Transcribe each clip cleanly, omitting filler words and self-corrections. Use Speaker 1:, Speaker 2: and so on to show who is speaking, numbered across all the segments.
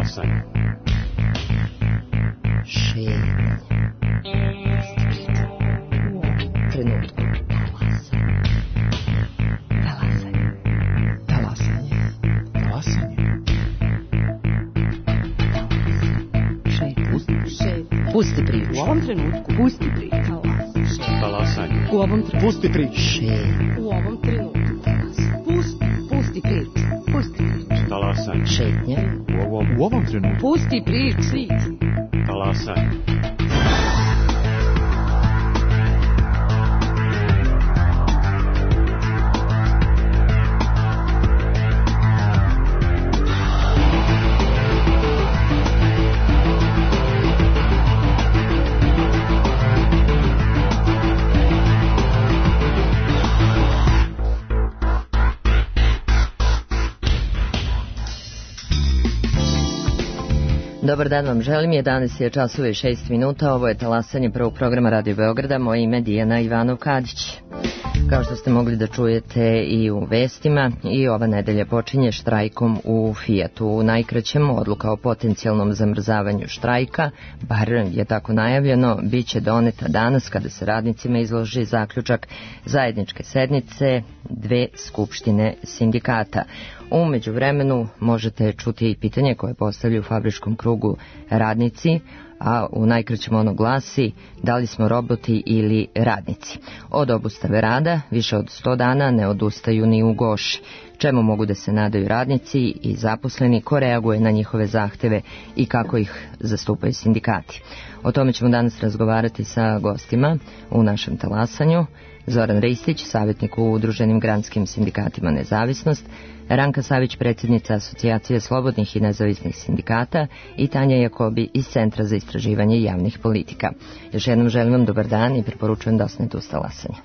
Speaker 1: Talasanje.
Speaker 2: Šetnje. Trenutku. Talasanje. Talasanje.
Speaker 1: Talasanje.
Speaker 2: Pusti priču.
Speaker 3: U ovom trenutku.
Speaker 2: Pusti priču.
Speaker 1: Talasanje.
Speaker 3: U ovom trenutku.
Speaker 1: Pusti priču.
Speaker 3: U ovom trenutku. Pusti priču. Pusti priču.
Speaker 1: Talasanje.
Speaker 2: Šetnje.
Speaker 1: U ovom trenutku.
Speaker 3: Pusti priču.
Speaker 1: Talasanje.
Speaker 2: Dobar dan vam želim, 11 je časova i 6 minuta, ovo je talasanje prvog programa Radio Beograda, moje ime Dijana Ivanov-Kadić. Kao što ste mogli da čujete i u vestima, i ova nedelja počinje štrajkom u Fijatu. U najkraćem, odluka o potencijalnom zamrzavanju štrajka, bar je tako najavljeno, bit će doneta danas kada se radnicima izloži zaključak zajedničke sednice dve skupštine sindikata. U međuvremenu možete čuti i pitanje koje postavljaju u fabričkom krugu radnici, a u najkraćem ono glasi: da li smo roboti ili radnici? Od obustave rada više od 100 dana ne odustaju ni u Goši. Čemu mogu da se nadaju radnici i zaposleni, ko reaguje na njihove zahteve i kako ih zastupaju sindikati? O tome ćemo danas razgovarati sa gostima u našem talasanju. Zoran Ristić, savjetnik u Udruženim granskim sindikatima Nezavisnost, Ranka Savić, predsjednica Asocijacije slobodnih i nezavisnih sindikata, i Tanja Jakobi iz Centra za istraživanje javnih politika. Još jednom želim vam dobar dan i preporučujem da ostanete uz talasanje.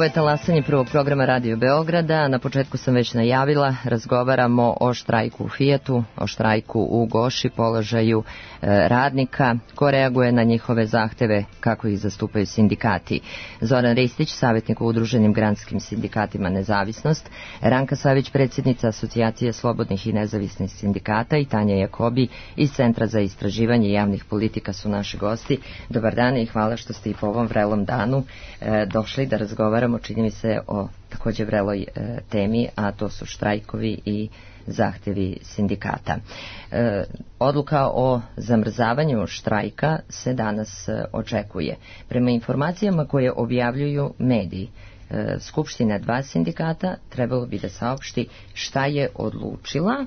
Speaker 2: Ovo je talasanje prvog programa Radio Beograda. Na početku sam već najavila, razgovaramo o štrajku u Fijatu, o štrajku u Goši, položaju radnika, ko reaguje na njihove zahteve, kako ih zastupaju sindikati. Zoran Ristić, savjetnik u Udruženim granskim sindikatima Nezavisnost, Ranka Savić, predsjednica Asocijacije slobodnih i nezavisnih sindikata i Tanja Jakobi iz Centra za istraživanje javnih politika su naši gosti. Dobar dan i hvala što ste i po ovom vrelom danu došli da razgovaramo, čini mi se, o također vreloj temi, a to su štrajkovi i zahtevi sindikata. Odluka o zamrzavanju štrajka se danas očekuje. Prema informacijama koje objavljuju mediji, Skupština 2 sindikata trebalo bi da saopšti šta je odlučila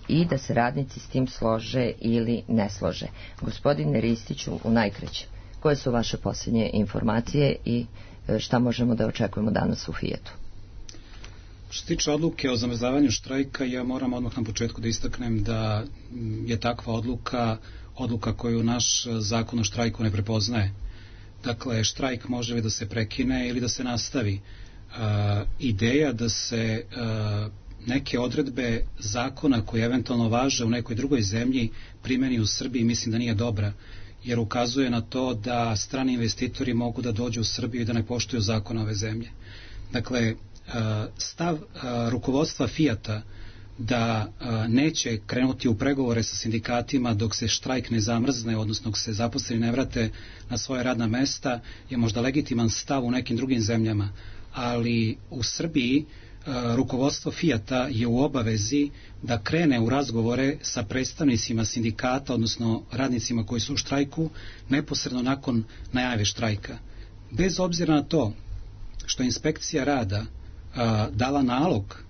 Speaker 2: i da se radnici s tim slože ili ne slože. Gospodine Ristiću, u najkraće, koje su vaše posljednje informacije i šta možemo da očekujemo danas u Fijatu?
Speaker 4: Što se tiče odluke o zamrzavanju štrajka, ja moram odmah na početku da istaknem da je takva odluka koju naš zakon o štrajku ne prepoznaje. Dakle, štrajk može li da se prekine ili da se nastavi. Ideja da se neke odredbe zakona koje eventualno važe u nekoj drugoj zemlji primeni u Srbiji, mislim da nije dobra, jer ukazuje na to da strani investitori mogu da dođu u Srbiju i da ne poštuju zakon ove zemlje. Dakle, stav rukovodstva Fijata da neće krenuti u pregovore sa sindikatima dok se štrajk ne zamrzne, odnosno dok se zaposleni ne vrate na svoje radna mesta, je možda legitiman stav u nekim drugim zemljama, ali u Srbiji rukovodstvo Fijata je u obavezi da krene u razgovore sa predstavnicima sindikata, odnosno radnicima koji su u štrajku, neposredno nakon najave štrajka. Bez obzira na to što inspekcija rada dala nalog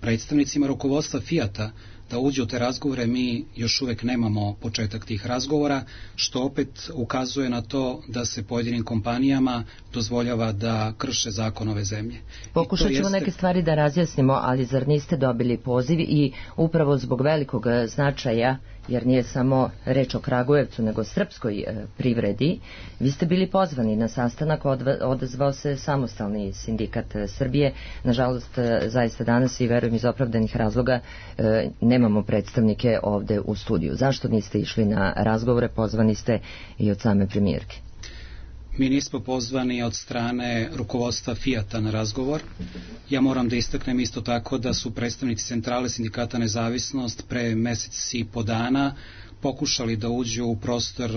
Speaker 4: predstavnicima rukovodstva Fijata da uđe u te razgovore, mi još uvek nemamo početak tih razgovora, što opet ukazuje na to da se pojedinim kompanijama dozvoljava da krše zakon ove zemlje.
Speaker 2: Pokušat ćemo neke stvari da razjasnimo, ali zar niste dobili poziv i upravo zbog velikog značaja, jer nije samo reč o Kragujevcu, nego srpskoj privredi, vi ste bili pozvani na sastanak, odazvao se Samostalni sindikat Srbije. Nažalost, zaista danas i verujem iz opravdanih razloga nemamo predstavnike ovde u studiju. Zašto niste išli na razgovore? Pozvani ste i od same premijerke.
Speaker 4: Mi nismo pozvani od strane rukovodstva Fijata na razgovor. Ja moram da istaknem isto tako da su predstavnici Centrale sindikata Nezavisnost pre mesec i po dana pokušali da uđu u prostor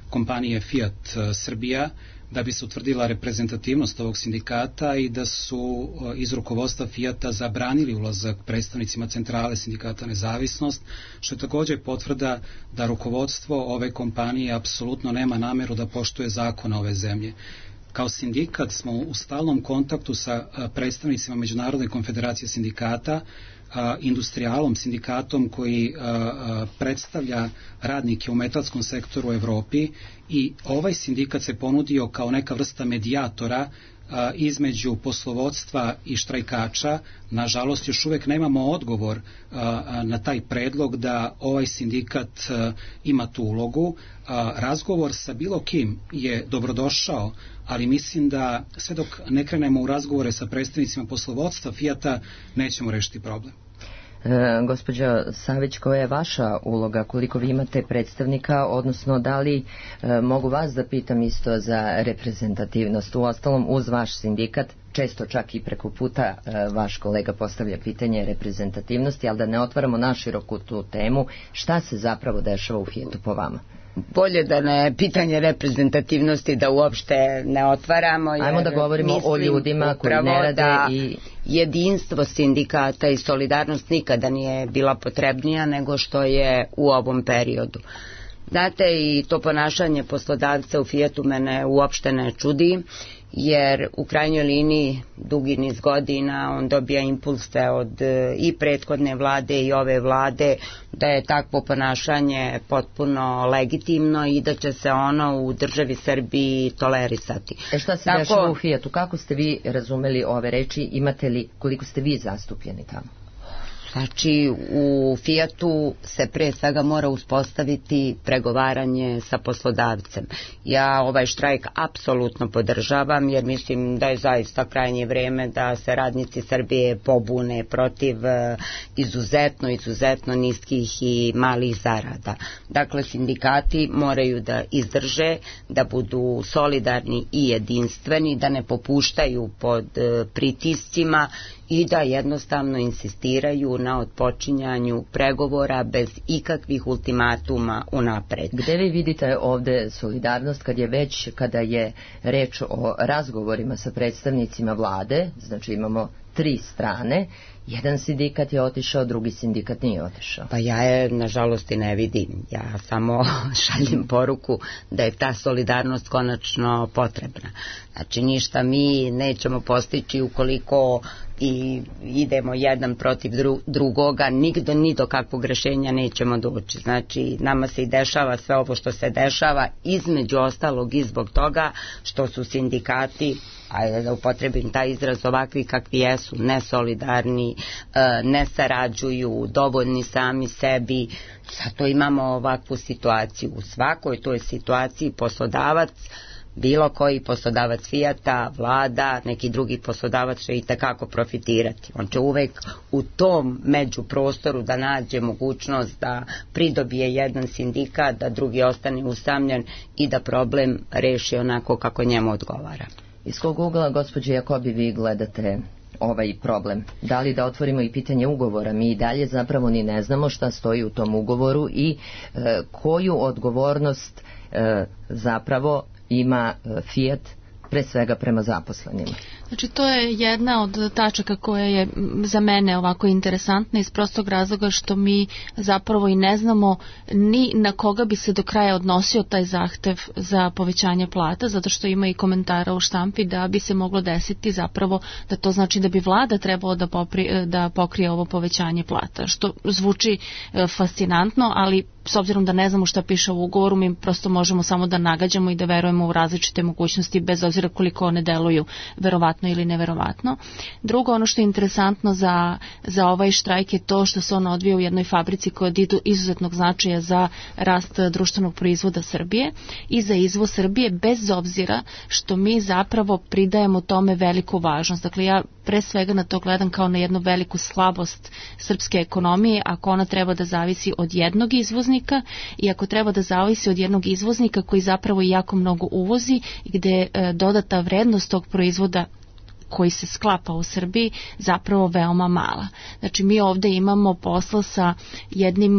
Speaker 4: kompanije Fijat Srbija da bi se utvrdila reprezentativnost ovog sindikata i da su iz rukovodstva Fijata zabranili ulazak predstavnicima Centrale sindikata Nezavisnost, što je također potvrda da rukovodstvo ove kompanije apsolutno nema nameru da poštuje zakon ove zemlje. Kao sindikat smo u stalnom kontaktu sa predstavnicima Međunarodne konfederacije sindikata, Industrijalom, sindikatom koji predstavlja radnike u metalskom sektoru u Evropi, i ovaj sindikat se ponudio kao neka vrsta medijatora između poslovodstva i štrajkača. Nažalost, još uvek nemamo odgovor na taj predlog da ovaj sindikat ima tu ulogu. Razgovor sa bilo kim je dobrodošao, ali mislim da sve dok ne krenemo u razgovore sa predstavnicima poslovodstva Fijata nećemo rešiti problem.
Speaker 2: Gospođo Savić, koja je vaša uloga, koliko vi imate predstavnika, odnosno da li mogu vas da pitam isto za reprezentativnost? Uostalom, uz vaš sindikat, često čak i preko puta vaš kolega postavlja pitanje reprezentativnosti, ali da ne otvaramo naširoku tu temu, šta se zapravo dešava u Fijatu po vama?
Speaker 5: Bolje da ne pitanje reprezentativnosti da uopšte ne otvaramo.
Speaker 2: Ajmo da govorimo o ljudima koji ne rade i
Speaker 5: jedinstvo sindikata i solidarnost nikada nije bila potrebnija nego što je u ovom periodu. Znate, i to ponašanje poslodavca u Fijatu mene uopšte ne čudi, jer u krajnjoj liniji dugi niz godina on dobija impulse od i prethodne vlade i ove vlade da je takvo ponašanje potpuno legitimno i da će se ono u državi Srbiji tolerisati.
Speaker 2: Šta se dešava u Fijatu? Kako ste vi razumeli ove reči? Imate li, koliko ste vi zastupljeni tamo?
Speaker 5: Znači, u Fijatu se pre svega mora uspostaviti pregovaranje sa poslodavcem. Ja ovaj štrajk apsolutno podržavam, jer mislim da je zaista krajnje vreme da se radnici Srbije pobune protiv izuzetno niskih i malih zarada. Dakle, sindikati moraju da izdrže, da budu solidarni i jedinstveni, da ne popuštaju pod pritiscima i da jednostavno insistiraju na otpočinjanju pregovora bez ikakvih ultimatuma unapred.
Speaker 2: Gde vi vidite ovde solidarnost kada je reč o razgovorima sa predstavnicima vlade, znači imamo 3 strane, jedan sindikat je otišao, drugi sindikat nije otišao?
Speaker 5: Pa ja je nažalost i ne vidim. Ja samo šaljem poruku da je ta solidarnost konačno potrebna. Znači ništa mi nećemo postići ukoliko i idemo jedan protiv drugoga, ni do kakvog rešenja nećemo doći. Znači nama se i dešava sve ovo što se dešava, između ostalog i zbog toga što su sindikati, ajde da upotrebim taj izraz, ovakvi kakvi jesu, nesolidarni, ne sarađuju, dovoljni sami sebi. Zato imamo ovakvu situaciju. U svakoj toj situaciji poslodavac, bilo koji poslodavac Fijata, vlada, neki drugi poslodavac će i takako profitirati. On će uvek u tom međuprostoru da nađe mogućnost da pridobije jedan sindikat, da drugi ostane usamljen i da problem reši onako kako njemu odgovara.
Speaker 2: Iz kog ugla, gospođe Jakobi, vi gledate ovaj problem? Da li da otvorimo i pitanje ugovora? Mi i dalje zapravo ni ne znamo šta stoji u tom ugovoru i koju odgovornost zapravo ima Fijat pre svega prema zaposlenima.
Speaker 6: Znači to je jedna od tačaka koja je za mene ovako interesantna iz prostog razloga što mi zapravo i ne znamo ni na koga bi se do kraja odnosio taj zahtev za povećanje plata, zato što ima i komentara u štampi da bi se moglo desiti zapravo da to znači da bi vlada trebalo da pokrije ovo povećanje plata, što zvuči fascinantno, ali s obzirom da ne znamo šta piše u ugovoru, mi prosto možemo samo da nagađamo i da verujemo u različite mogućnosti, bez obzira koliko one deluju verovatno ili neverovatno. Drugo, ono što je interesantno za ovaj štrajk je to što se on odvija u jednoj fabrici koja je od izuzetnog značaja za rast društvenog proizvoda Srbije i za izvoz Srbije, bez obzira što mi zapravo pridajemo tome veliku važnost. Dakle, ja pre svega na to gledam kao na jednu veliku slabost srpske ekonomije, ako ona treba da zavisi od jednog izvoznika i ako treba da zavisi od jednog izvoznika koji zapravo jako mnogo uvozi i gde je dodata vrednost tog proizvoda koji se sklapa u Srbiji zapravo veoma mala. Znači mi ovde imamo posla sa jednim,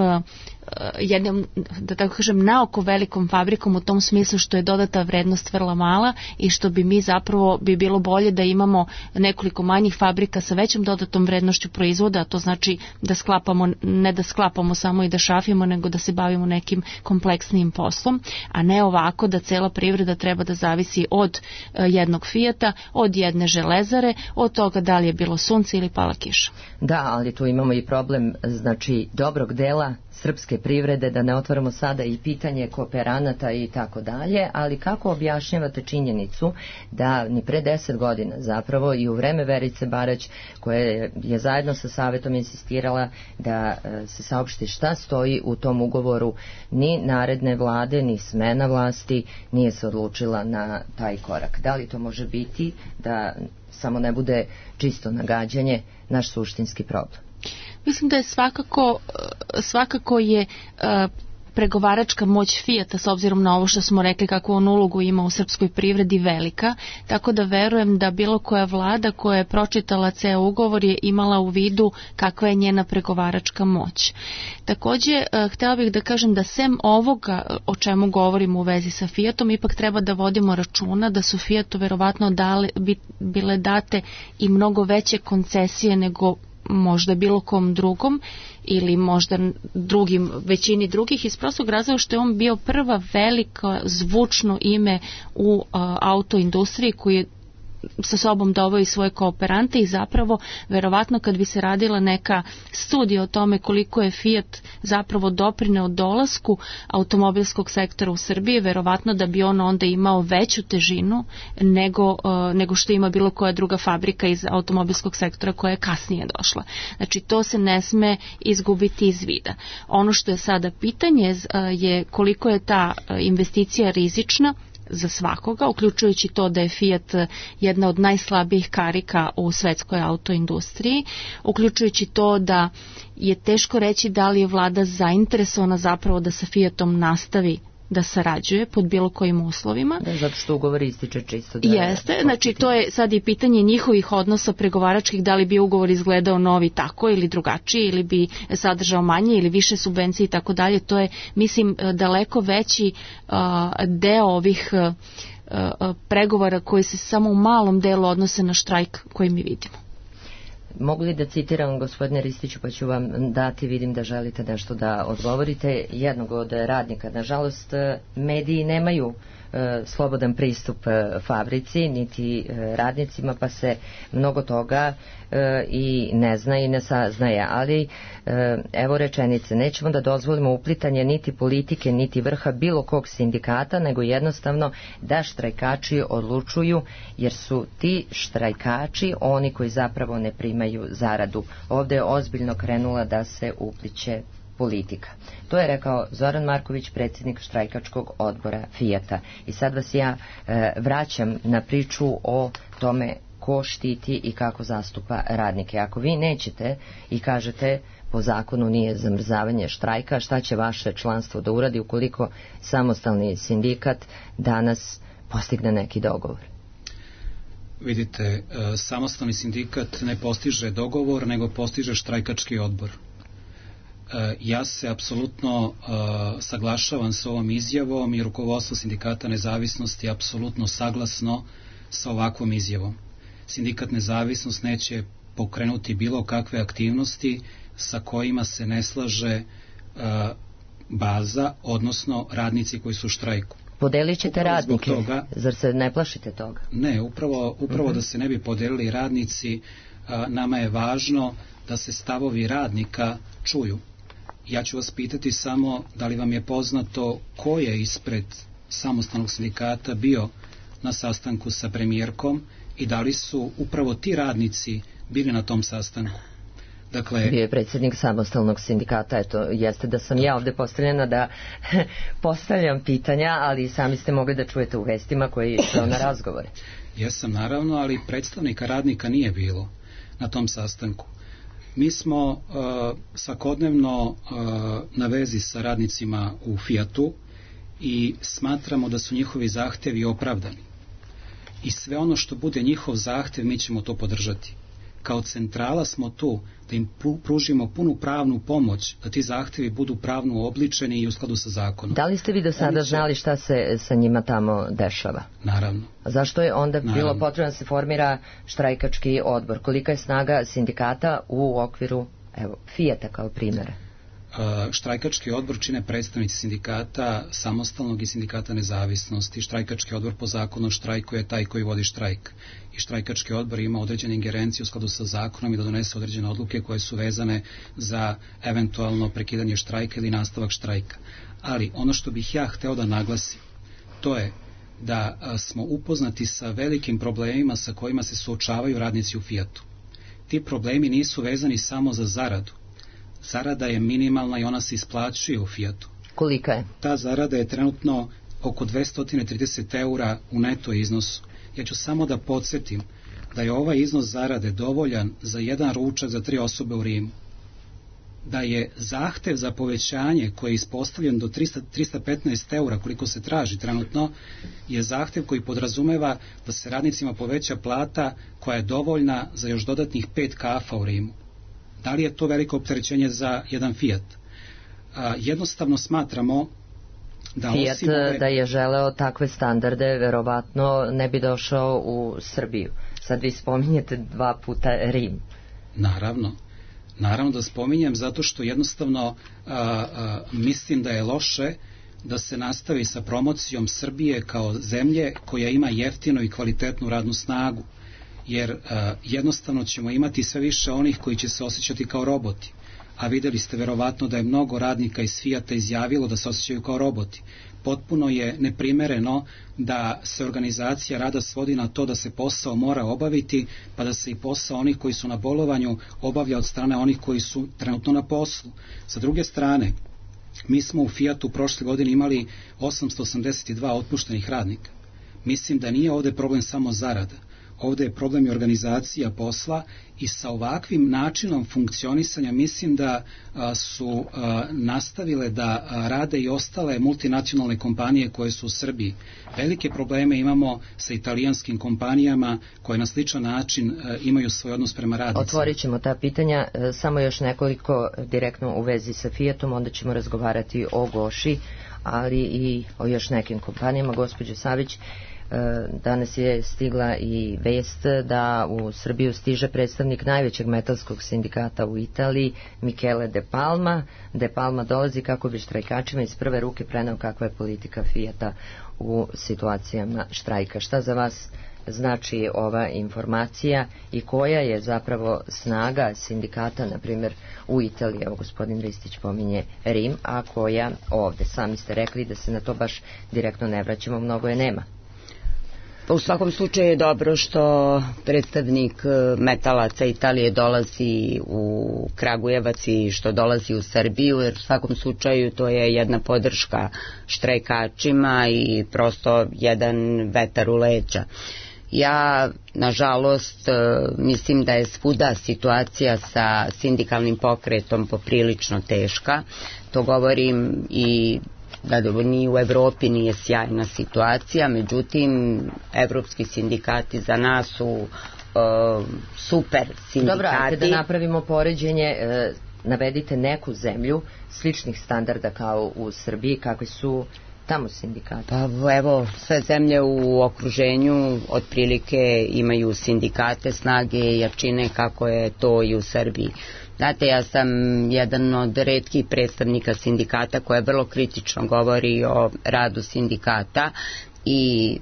Speaker 6: da tako kažem, naoko velikom fabrikom u tom smislu što je dodata vrednost vrlo mala i što bi mi zapravo bi bilo bolje da imamo nekoliko manjih fabrika sa većom dodatom vrednošću proizvoda, a to znači da sklapamo, ne da sklapamo samo i da šafimo, nego da se bavimo nekim kompleksnijim poslom, a ne ovako da cela privreda treba da zavisi od jednog Fijata, od jedne železare, od toga da li je bilo sunce ili pala kiša.
Speaker 2: Da, ali tu imamo i problem, znači, dobrog dela srpske privrede, da ne otvaramo sada i pitanje kooperanata i tako dalje, ali kako objašnjavate činjenicu da ni pre 10 godina zapravo i u vreme Verice Barać, koja je zajedno sa Savetom insistirala da se saopšti šta stoji u tom ugovoru, ni naredne vlade, ni smena vlasti nije se odlučila na taj korak? Da li to može biti da samo ne bude čisto nagađanje naš suštinski problem?
Speaker 6: Mislim da je svakako je pregovaračka moć Fijata, s obzirom na ovo što smo rekli kakvu on ulogu ima u srpskoj privredi, velika, tako da verujem da bilo koja vlada koja je pročitala ceo ugovor je imala u vidu kakva je njena pregovaračka moć. Takođe, htela bih da kažem da sem ovoga o čemu govorimo u vezi sa Fijatom, ipak treba da vodimo računa da su Fijatu verovatno bile date i mnogo veće koncesije nego možda bilo kom drugom ili možda većini drugih, iz prostog razloga što je on bio prva velika zvučno ime u autoindustriji koji je sa sobom doveo i svoje kooperante i zapravo verovatno kad bi se radila neka studija o tome koliko je Fiat zapravo doprineo dolasku automobilskog sektora u Srbiji, verovatno da bi on onda imao veću težinu nego što ima bilo koja druga fabrika iz automobilskog sektora koja je kasnije došla. Znači to se ne sme izgubiti iz vida. Ono što je sada pitanje je koliko je ta investicija rizična za svakoga, uključujući to da je Fiat jedna od najslabijih karika u svetskoj autoindustriji, uključujući to da je teško reći da li je vlada zainteresovana zapravo da sa Fiatom nastavi da sarađuje pod bilo kojim uslovima.
Speaker 2: Da, zato što ugovor ističe čisto. Da
Speaker 6: jeste, znači to je sad i pitanje njihovih odnosa pregovaračkih, da li bi ugovor izgledao novi tako ili drugačiji, ili bi sadržao manje ili više subvencije i tako dalje. To je, mislim, daleko veći deo ovih pregovora koji se samo u malom delu odnose na štrajk koji mi vidimo.
Speaker 2: Mogu li da citiram, gospodine Ristiću, pa ću vam dati, vidim da želite nešto da odgovorite, jednog od radnika. Nažalost, mediji nemaju slobodan pristup fabrici, niti radnicima, pa se mnogo toga i ne zna i ne saznaje. Ali, evo rečenice, nećemo da dozvolimo uplitanje niti politike, niti vrha bilo kog sindikata, nego jednostavno da štrajkači odlučuju, jer su ti štrajkači oni koji zapravo ne primaju zaradu. Ovde je ozbiljno krenula da se upliće politika. To je rekao Zoran Marković, predsjednik štrajkačkog odbora Fijata. I sad vas ja vraćam na priču o tome ko štiti i kako zastupa radnike. Ako vi nećete i kažete po zakonu nije zamrzavanje štrajka, šta će vaše članstvo da uradi ukoliko samostalni sindikat danas postigne neki dogovor?
Speaker 4: Vidite, samostalni sindikat ne postiže dogovor, nego postiže štrajkački odbor. Ja se apsolutno saglašavam s ovom izjavom i rukovodstvo Sindikata nezavisnosti je apsolutno saglasno sa ovakvom izjavom. Sindikat nezavisnost neće pokrenuti bilo kakve aktivnosti sa kojima se ne slaže baza, odnosno radnici koji su u štrajku.
Speaker 2: Podelit ćete radnike, toga, zar se ne plašite toga?
Speaker 4: Ne, upravo da se ne bi podelili radnici, nama je važno da se stavovi radnika čuju. Ja ću vas pitati samo da li vam je poznato ko je ispred samostalnog sindikata bio na sastanku sa premijerkom i da li su upravo ti radnici bili na tom sastanku. Dakle,
Speaker 2: bio je predsjednik samostalnog sindikata, eto, jeste da sam ja ovde postavljena da postavljam pitanja, ali sami ste mogli da čujete u vestima koji je išao na razgovore.
Speaker 4: Jesam, naravno, ali predstavnika radnika nije bilo na tom sastanku. Mi smo svakodnevno na vezi sa radnicima u Fijatu i smatramo da su njihovi zahtevi opravdani. I sve ono što bude njihov zahtev, mi ćemo to podržati. Kao centrala smo tu da im pružimo punu pravnu pomoć, da ti zahtevi budu pravno obličeni i u skladu sa zakonom.
Speaker 2: Da li ste vi do sada znali šta se sa njima tamo dešava?
Speaker 4: Naravno.
Speaker 2: A zašto je onda bilo potrebno da se formira štrajkački odbor? Kolika je snaga sindikata u okviru, evo, Fijata kao primjera?
Speaker 4: Štrajkački odbor čine predstavnici sindikata samostalnog i sindikata nezavisnosti. Štrajkački odbor po zakonu o štrajku je taj koji vodi štrajk. I štrajkački odbor ima određene ingerencije u skladu sa zakonom i da donese određene odluke koje su vezane za eventualno prekidanje štrajka ili nastavak štrajka. Ali ono što bih ja hteo da naglasim, to je da smo upoznati sa velikim problemima sa kojima se suočavaju radnici u Fijatu. Ti problemi nisu vezani samo za zaradu. Zarada je minimalna i ona se isplaćuje u Fijatu.
Speaker 2: Kolika je?
Speaker 4: Ta zarada je trenutno oko 230 eura u neto iznosu. Ja ću samo da podsjetim da je ovaj iznos zarade dovoljan za jedan ručak za 3 osobe u Rimu. Da je zahtev za povećanje koji je ispostavljen do 315 eura koliko se traži trenutno, je zahtev koji podrazumeva da se radnicima poveća plata koja je dovoljna za još dodatnih 5 kafa u Rimu. Da li je to veliko opterećenje za jedan Fiat? Jednostavno smatramo da
Speaker 2: Fiat da je želeo takve standarde, verovatno ne bi došao u Srbiju. Sad vi spominjete 2 puta Rim.
Speaker 4: Naravno da spominjem zato što jednostavno mislim da je loše da se nastavi sa promocijom Srbije kao zemlje koja ima jeftinu i kvalitetnu radnu snagu, jer jednostavno ćemo imati sve više onih koji će se osjećati kao roboti. A videli ste verovatno da je mnogo radnika iz Fijata izjavilo da se osjećaju kao roboti. Potpuno je neprimereno da se organizacija rada svodi na to da se posao mora obaviti, pa da se i posao onih koji su na bolovanju obavlja od strane onih koji su trenutno na poslu. Sa druge strane, mi smo u Fijatu prošle godine imali 882 otpuštenih radnika. Mislim da nije ovde problem samo zarada. Ovde je problem i organizacija posla i sa ovakvim načinom funkcionisanja mislim da su nastavile da rade i ostale multinacionalne kompanije koje su u Srbiji. Velike probleme imamo sa italijanskim kompanijama koje na sličan način imaju svoj odnos prema radnicima.
Speaker 2: Otvorit ćemo ta pitanja, samo još nekoliko direktno u vezi sa Fijatom, onda ćemo razgovarati o Goši, ali i o još nekim kompanijama. Gospođo Savić, danas je stigla i vest da u Srbiju stiže predstavnik najvećeg metalskog sindikata u Italiji, Michele De Palma. De Palma dolazi kako bi štrajkačima iz prve ruke preneo kakva je politika Fijata u situacijama štrajka. Šta za vas znači ova informacija i koja je zapravo snaga sindikata, na primjer u Italiji? Evo, gospodin Ristić pominje Rim, a koja ovde? Sami ste rekli da se na to baš direktno ne vraćamo, mnogo je nema.
Speaker 5: U svakom slučaju je dobro što predstavnik metalaca Italije dolazi u Kragujevac i što dolazi u Srbiju, jer u svakom slučaju to je jedna podrška štrajkačima i prosto jedan vetar u leđa. Ja, nažalost, mislim da je svuda situacija sa sindikalnim pokretom poprilično teška. To govorim i da ni u Evropi nije sjajna situacija, međutim, evropski sindikati za nas su super sindikati.
Speaker 2: Dobro, ajde da napravimo poređenje, navedite neku zemlju sličnih standarda kao u Srbiji, kakvi su tamo sindikati?
Speaker 5: Pa evo, sve zemlje u okruženju otprilike imaju sindikate, snage i jačine kako je to i u Srbiji. Znate, ja sam jedan od retkih predstavnika sindikata koja vrlo kritično govori o radu sindikata i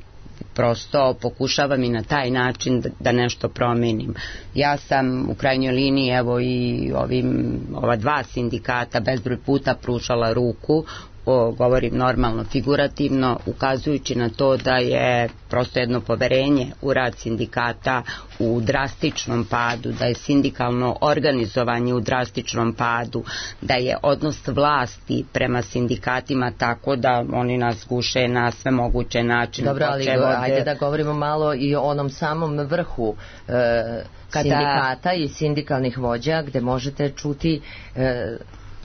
Speaker 5: prosto pokušavam i na taj način da nešto promenim. Ja sam u krajnjoj liniji, evo i ova dva sindikata bezbroj puta pružala ruku, govorim normalno, figurativno, ukazujući na to da je prosto jedno poverenje u rad sindikata u drastičnom padu, da je sindikalno organizovanje u drastičnom padu, da je odnos vlasti prema sindikatima tako da oni nas guše na sve moguće načine.
Speaker 2: Dobro, ali ajde da govorimo malo i o onom samom vrhu sindikata i sindikalnih vođa, gde možete čuti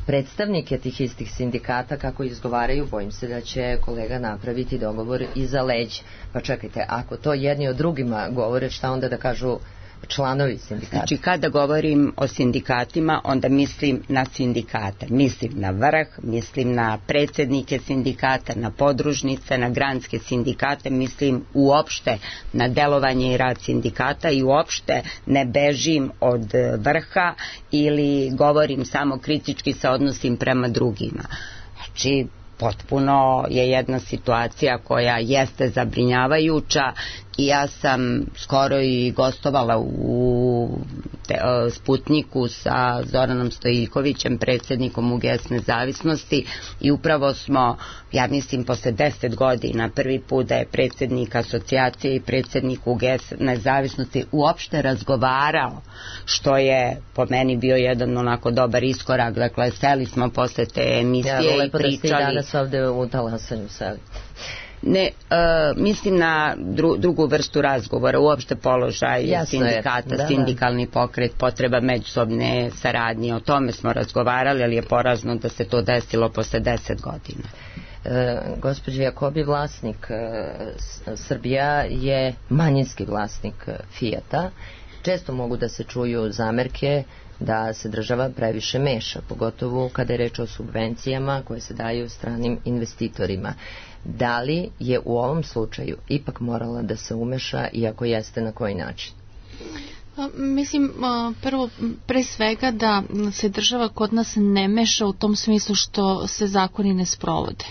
Speaker 2: predstavnike tih istih sindikata kako izgovaraju. Bojim se da će kolega napraviti dogovor iza leđa. Pa čekajte, ako to jedni od drugima govore, šta onda da kažu članovi sindikata?
Speaker 5: Znači, kada govorim o sindikatima, onda mislim na sindikate. Mislim na vrh, mislim na predsjednike sindikata, na podružnice, na granske sindikate, mislim uopšte na delovanje i rad sindikata i uopšte ne bežim od vrha ili govorim samo kritički se odnosim prema drugima. Znači, potpuno je jedna situacija koja jeste zabrinjavajuća i ja sam skoro i gostovala u Sputniku sa Zoranom Stojiljkovićem, predsjednikom UGS Nezavisnosti, i upravo smo, ja mislim, posle 10 godina prvi put da je predsjednik asocijacije i predsjednik UGS Nezavisnosti uopšte razgovarao, što je po meni bio jedan onako dobar iskorak. Dakle, seli smo posle te emisije i pričali.
Speaker 2: Da ste i danas ovde u Talasanju seli.
Speaker 5: Ne, mislim na drugu vrstu razgovora, uopšte položaj sindikata, sindikalni pokret, potreba međusobne saradnje, o tome smo razgovarali, ali je porazno da se to desilo posle 10 godina.
Speaker 2: Gospođo Jakobi, vlasnik Srbija je manjinski vlasnik Fijata. Često mogu da se čuju zamerke da se država previše meša, pogotovo kada je reč o subvencijama koje se daju stranim investitorima. Da li je u ovom slučaju ipak morala da se umeša, i ako jeste, na koji način?
Speaker 6: Mislim, prvo, pre svega da se država kod nas ne meša u tom smislu što se zakoni ne sprovode.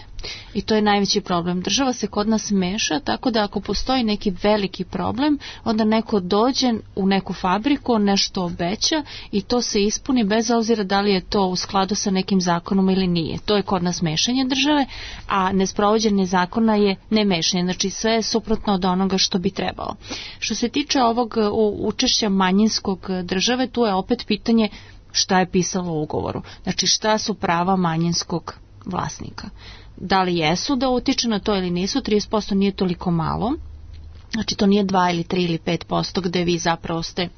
Speaker 6: I to je najveći problem. Država se kod nas meša, tako da ako postoji neki veliki problem, onda neko dođe u neku fabriku, nešto obeća i to se ispuni bez obzira da li je to u skladu sa nekim zakonom ili nije. To je kod nas mešanje države, a nesprovođenje zakona je nemešanje. Znači sve je suprotno od onoga što bi trebalo. Što se tiče ovog učešća manjinskog države, tu je opet pitanje šta je pisalo u ugovoru. Znači šta su prava manjinskog vlasnika. Da li jesu da utiče na to ili nisu, 30% nije toliko malo. Znači to nije 2 ili 3 ili 5% gde vi zapravo ste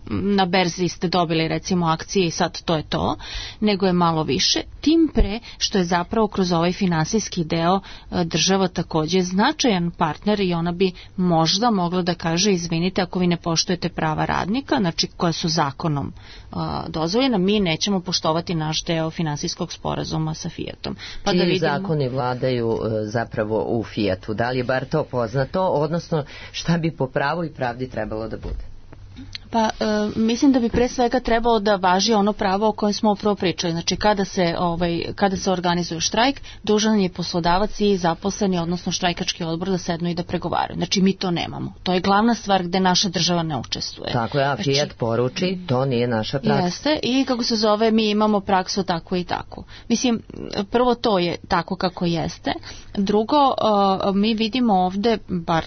Speaker 6: na berzi ste dobili recimo akcije i sad to je to, nego je malo više, tim pre što je zapravo kroz ovaj finansijski deo država takođe značajan partner i ona bi možda mogla da kaže izvinite ako vi ne poštujete prava radnika, znači koja su zakonom dozvoljena, mi nećemo poštovati naš deo finansijskog sporazuma sa Fiatom. Pa
Speaker 2: čiji
Speaker 6: da vidimo
Speaker 2: zakoni vladaju zapravo u Fiatu? Da li je bar to poznato, odnosno šta bi po pravu i pravdi trebalo da bude?
Speaker 6: Pa mislim da bi pre svega trebalo da važi ono pravo o kojem smo upravo pričali. Znači kada se organizuje štrajk, dužan je poslodavac i zaposleni, odnosno štrajkački odbor da sednu i da pregovaraju. Znači mi to nemamo. To je glavna stvar gde naša država ne učestvuje.
Speaker 2: Tako je, a Fiat poruči, to nije naša praksa.
Speaker 6: Jeste, i kako se zove, mi imamo praksu tako i tako. Mislim, prvo to je tako kako jeste. Drugo, mi vidimo ovde, bar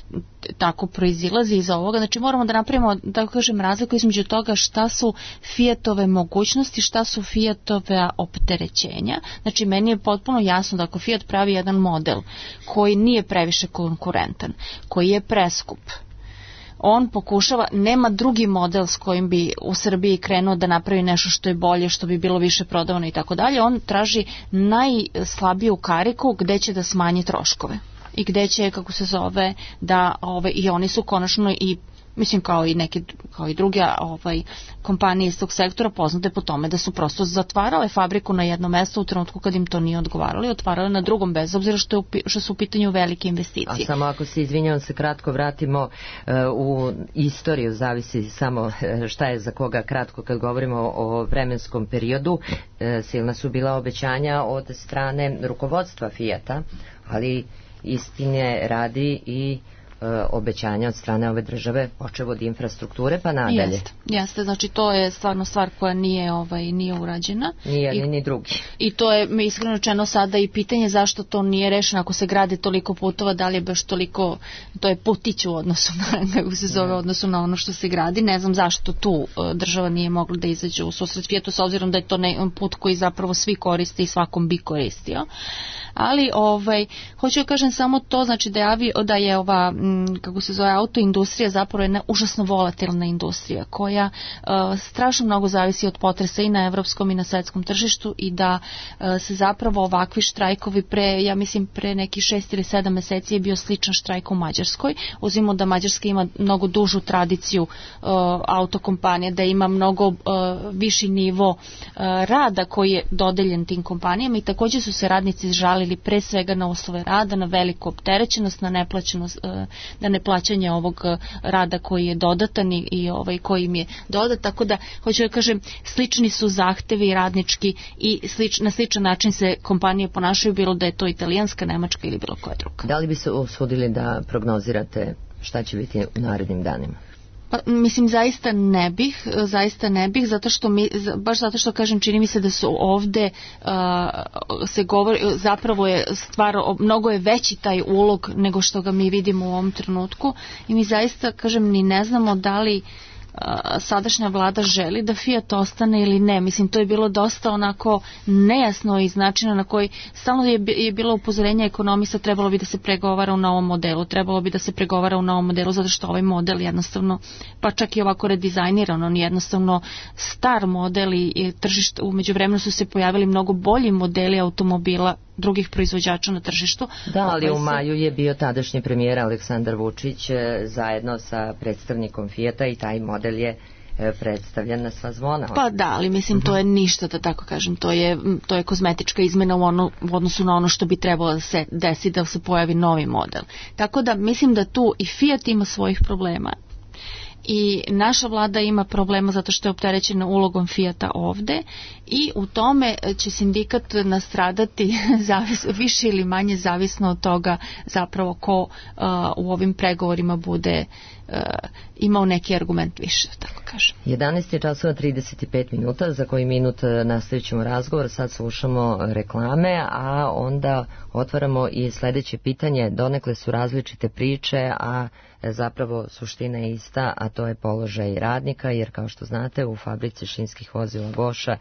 Speaker 6: tako proizilazi iz ovoga, znači moramo da napravimo, da kažem, razliku između toga šta su Fiatove mogućnosti, šta su Fiatove opterećenja. Znači meni je potpuno jasno da ako Fiat pravi jedan model koji nije previše konkurentan, koji je preskup, on pokušava, nema drugi model s kojim bi u Srbiji krenuo da napravi nešto što je bolje, što bi bilo više prodavano i tako dalje, on traži najslabiju kariku gde će da smanji troškove i gde će, kako se zove, da i oni su konačno i mislim kao i druge kompanije iz tog sektora poznate po tome da su prosto zatvarale fabriku na jedno mesto u trenutku kad im to nije odgovaralo i otvarale na drugom bez obzira što su u pitanju velike investicije.
Speaker 2: A samo ako se izvinjavam se kratko vratimo u istoriju, zavisi samo šta je za koga kratko kad govorimo o vremenskom periodu, silna su bila obećanja od strane rukovodstva Fiata, ali istine radi i obećanja od strane ove države, počev od infrastrukture pa nadalje.
Speaker 6: Jeste, znači to je stvarno stvar koja nije urađena.
Speaker 2: Nije ni drugi.
Speaker 6: I to je iskreno rečeno sada i pitanje zašto to nije rešeno ako se grade toliko putova, da li je baš toliko, to je putić u odnosu na, kako se zove, odnosu na ono što se gradi. Ne znam zašto tu država nije mogla da izađe u susret Fiatu s obzirom da je to put koji zapravo svi koriste i svakom bi koristio. Ali hoću da kažem samo to, znači da je ova kako se zove autoindustrija zapravo jedna užasno volatilna industrija koja strašno mnogo zavisi od potresa i na evropskom i na svetskom tržištu i da se zapravo ovakvi štrajkovi ja mislim pre neki 6 ili 7 meseci je bio sličan štrajk u Mađarskoj. Uzmimo da Mađarska ima mnogo dužu tradiciju autokompanija, da ima mnogo viši nivo rada koji je dodeljen tim kompanijama i takođe su se radnici žalili pre svega na uslove rada, na veliku opterećenost, na neplaćanje ovog rada koji je dodatan i koji im je dodat, tako da hoću da kažem slični su zahtevi radnički i na sličan način se kompanije ponašaju, bilo da je to italijanska, nemačka ili bilo koja druga.
Speaker 2: Da li bi se usudili da prognozirate šta će biti u narednim danima?
Speaker 6: Pa, mislim, zaista ne bih, baš zato što kažem, čini mi se da su ovde se govori, zapravo je stvar, mnogo je veći taj ulog nego što ga mi vidimo u ovom trenutku i mi zaista, kažem, ni ne znamo da li sadašnja vlada želi da Fiat ostane ili ne. Mislim, to je bilo dosta onako nejasno iz načina na koji stalno je bilo upozorenje ekonomista, trebalo bi da se pregovara u novom modelu, zato što ovaj model jednostavno, pa čak i ovako redizajniran, on jednostavno star model i tržište, umeđu vremenu su se pojavili mnogo bolji modeli automobila drugih proizvođača na tržištu.
Speaker 2: Da, ali u maju je bio tadašnji premijer Aleksandar Vučić zajedno sa predstavnikom Fijata i taj model je predstavljen na sva zvona.
Speaker 6: Pa da, ali mislim to je ništa, da tako kažem, to je kozmetička izmena u odnosu na ono što bi trebalo da se desi da se pojavi novi model. Tako da mislim da tu i Fiat ima svojih problema. i naša vlada ima problema zato što je opterećena ulogom Fijata ovde i u tome će sindikat nastradati više ili manje zavisno od toga zapravo ko u ovim pregovorima bude imao neki argument više, tako kažem.
Speaker 2: 11 je časova 35 minuta, za koji minut nastavit ćemo razgovor, sad slušamo reklame, a onda otvaramo i sledeće pitanje. Donekle su različite priče, a zapravo suština je ista, a to je položaj radnika, jer kao što znate u fabrici šinskih vozila Goša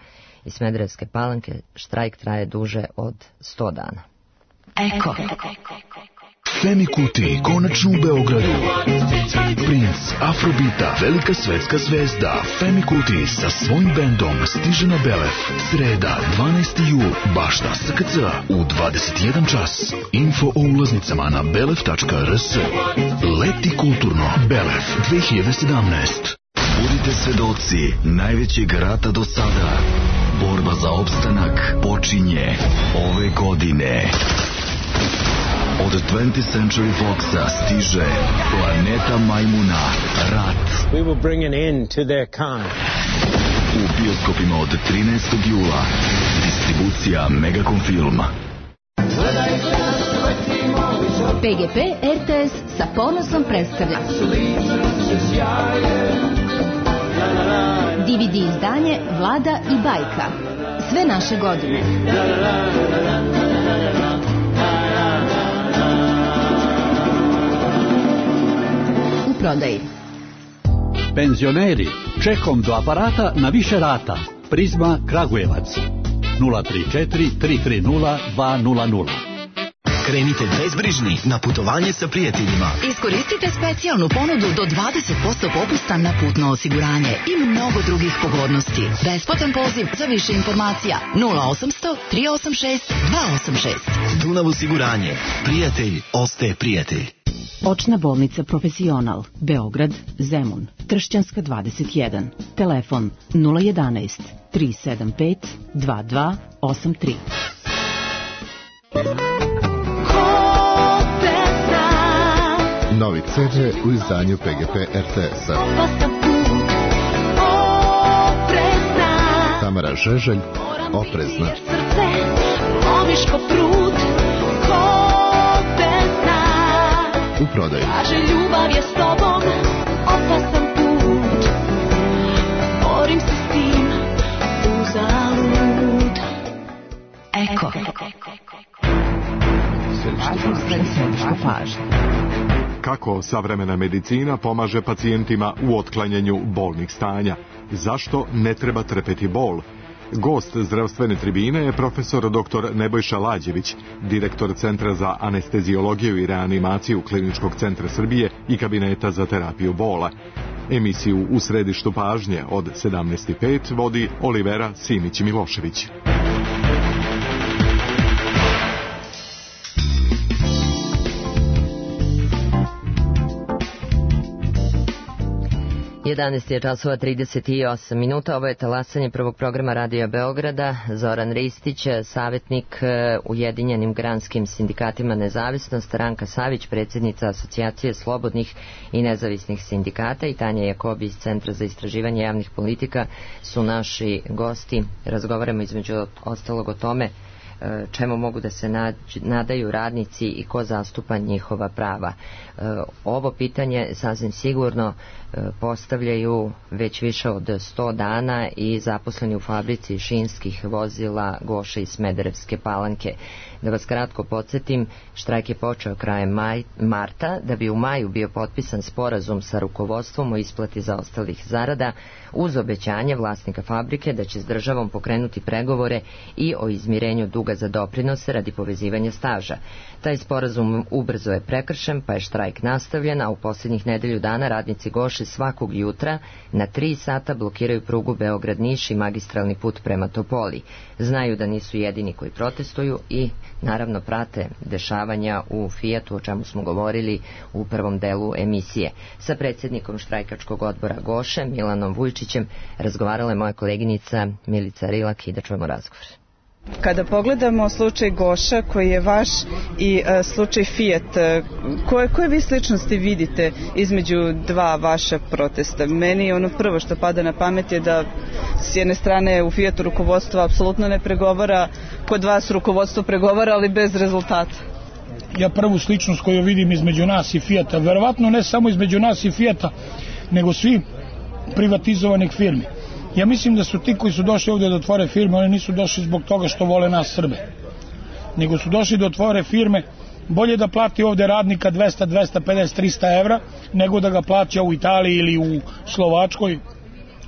Speaker 2: i Smederevske Palanke štrajk traje duže od 100 dana.
Speaker 7: Eko. Femi Kuti, konačno u Beogradu. Princ Afrobita, velika svetska zvezda Femi Kuti sa svojim bendom stiže na Belef. Sreda, 12. jul, bašta SKC u 21 čas. Info o ulaznicama na belef.rs. Leti kulturno, Belef 2017. Budite svedoci najvećeg rata do sada. Borba za opstanak počinje ove godine. Od 20th Century Foxa stiže Planeta Majmuna, Rat.
Speaker 8: We will bring an end to their kind.
Speaker 7: U bioskopima od 13. jula. Distribucija Megacom Film.
Speaker 9: PGP RTS sa ponosom predstavlja DVD izdanje Vlada i bajka. Sve naše godine. U prodaji.
Speaker 10: Penzioneri, čekom do aparata na više rata. Prizma Kragujevac 034 330 200.
Speaker 11: Krenite bezbrižni na putovanje sa prijateljima.
Speaker 12: Iskoristite specijalnu ponudu do 20% popusta na putno osiguranje i mnogo drugih pogodnosti. Besplatan poziv za više informacija 0800 386 286.
Speaker 11: Dunav osiguranje. Prijatelj ostaje prijatelj.
Speaker 13: Očna bolnica Profesional, Beograd, Zemun, Tršćanska 21, telefon 011 375 2283.
Speaker 14: Novi CD u izdanju PGP RTS-a. Tamara Žeželj, Oprezna. U prodaju.
Speaker 15: Ljubav je s tobom, opasan put. Borim se s tim, uzalud.
Speaker 12: Eko.
Speaker 13: Središnja pažnja.
Speaker 16: Kako savremena medicina pomaže pacijentima u otklanjanju bolnih stanja? Zašto ne treba trpeti bol? Gost zdravstvene tribine je profesor dr. Nebojša Lađević, direktor Centra za anesteziologiju i reanimaciju Kliničkog centra Srbije i Kabineta za terapiju bola. Emisiju U središtu pažnje od 17:05 vodi Olivera Simić-Milošević.
Speaker 2: 11 je časova 38 minuta, ovo je talasanje prvog programa Radija Beograda. Zoran Ristić, savjetnik Ujedinjenim granskim sindikatima Nezavisnost, Ranka Savić, predsjednica Asocijacije slobodnih i nezavisnih sindikata i Tanja Jakobi iz Centra za istraživanje javnih politika su naši gosti. Razgovaramo između ostalog o tome čemu mogu da se nadaju radnici i ko zastupa njihova prava. Ovo pitanje sasvim sigurno postavljaju već više od 100 dana i zaposleni u fabrici šinskih vozila Goše i Smederevske Palanke. Da vas kratko podsjetim, štrajk je počeo krajem marta, da bi u maju bio potpisan sporazum sa rukovodstvom o isplati zaostalih zarada, uz obećanje vlasnika fabrike da će s državom pokrenuti pregovore i o izmirenju duga za doprinose radi povezivanja staža. Taj sporazum ubrzo je prekršen, pa je štrajk nastavljen, a u posljednjih nedelju dana radnici Goše svakog jutra na 3 sata blokiraju prugu Beograd-Niš i magistralni put prema Topoli. Znaju da nisu jedini koji protestuju i naravno prate dešavanja u Fijatu, o čemu smo govorili u prvom delu emisije. Sa predsjednikom štrajkačkog odbora Goše, Milanom Vujčićem, razgovarala je moja koleginica Milica Rilak i da čujemo razgovor.
Speaker 17: Kada pogledamo slučaj Goša koji je vaš i slučaj Fiat, koje vi sličnosti vidite između dva vaša protesta? Meni ono prvo što pada na pamet je da s jedne strane u Fiatu rukovodstvo apsolutno ne pregovara, kod vas rukovodstvo pregovara, ali bez rezultata.
Speaker 18: Ja prvu sličnost koju vidim između nas i Fiata, verovatno ne samo između nas i Fiata, nego svi privatizovanih firmi. Ja mislim da su ti koji su došli ovdje da otvore firme, oni nisu došli zbog toga što vole nas Srbe, nego su došli da otvore firme. Bolje da plati ovdje radnika 200, 250, 300 evra, nego da ga plaća u Italiji ili u Slovačkoj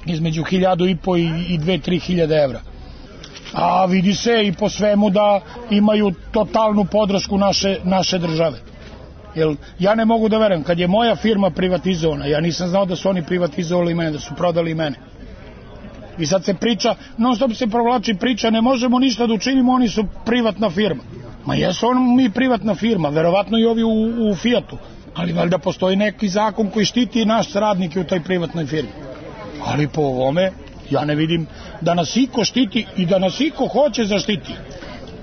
Speaker 18: između 1.500 i 2-3 hiljade evra. A vidi se i po svemu da imaju totalnu podršku naše države. Jer ja ne mogu da verujem, kad je moja firma privatizovana, ja nisam znao da su oni privatizovali mene, da su prodali mene. I sad se priča, non stop se provlači priča, ne možemo ništa da učinimo, oni su privatna firma. Ma jesu mi privatna firma, verovatno i ovi u Fiatu, ali valjda postoji neki zakon koji štiti naš radnike u toj privatnoj firmi. Ali po ovome ja ne vidim da nas iko štiti i da nas iko hoće zaštiti.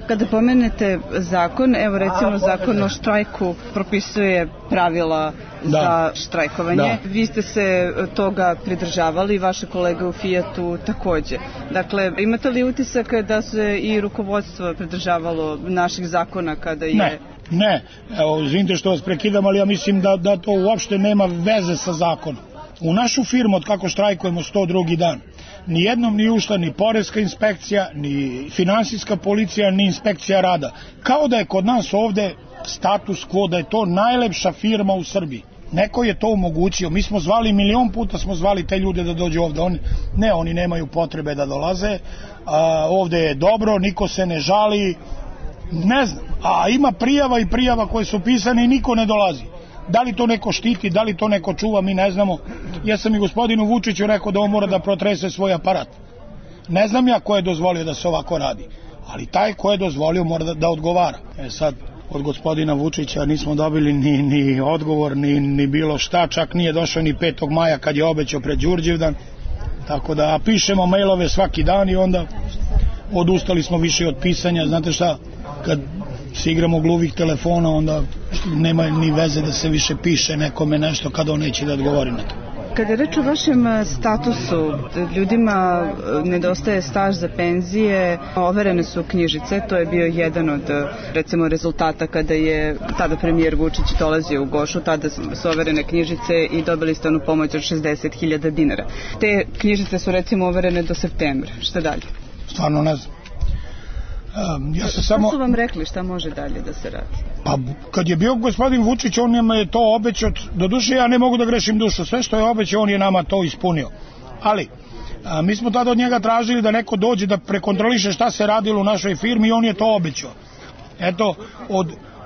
Speaker 17: Kada pomenete zakon, evo recimo zakon o štrajku propisuje pravila za štrajkovanje. Da. Vi ste se toga pridržavali i vaše kolege u Fiatu takođe. Dakle, imate li utisak da se i rukovodstvo pridržavalo naših zakona kada je...
Speaker 18: Ne. Evo, izvinite što vas prekidam, ali ja mislim da to uopšte nema veze sa zakonom. U našu firmu, od kako štrajkujemo 102. dan, nijednom nije ušla ni poreska inspekcija, ni finansijska policija, ni inspekcija rada. Kao da je kod nas ovde status quo, da je to najlepša firma u Srbiji. Neko je to omogućio. Mi smo zvali, 1.000.000 puta smo zvali te ljude da dođu ovde. Oni nemaju potrebe da dolaze. Ovde je dobro, niko se ne žali. Ne znam. A ima prijava i prijava koje su pisane i niko ne dolazi. Da li to neko štiti, da li to neko čuva, mi ne znamo. Ja sam i gospodinu Vučiću rekao da on mora da protrese svoj aparat. Ne znam ja ko je dozvolio da se ovako radi, ali taj ko je dozvolio mora da odgovara. Sad, od gospodina Vučića nismo dobili ni odgovor, ni bilo šta, čak nije došao ni 5. maja kad je obećao pred Đurđevdan. Tako da pišemo mailove svaki dan i onda odustali smo više od pisanja. Znate šta, kad se igramo gluvih telefona, onda nema ni veze da se više piše nekome nešto kada on neće da odgovori na to.
Speaker 17: Kada je reč o vašem statusu, ljudima nedostaje staž za penzije, overene su knjižice, to je bio jedan od recimo rezultata kada je tada premijer Vučić dolazio u Gošu, tada su overene knjižice i dobili ste onu pomoć od 60.000 dinara. Te knjižice su recimo overene do septembra, šta dalje?
Speaker 18: Stvarno ne znam.
Speaker 17: Šta su vam rekli, šta može dalje da se radi?
Speaker 18: Pa kad je bio gospodin Vučić, on nam je to obećao, doduše ja ne mogu da grešim dušu, sve što je obećao on je nama to ispunio. Ali mi smo tada od njega tražili da neko dođe da prekontroliše šta se radilo u našoj firmi i on je to obećao. Eto,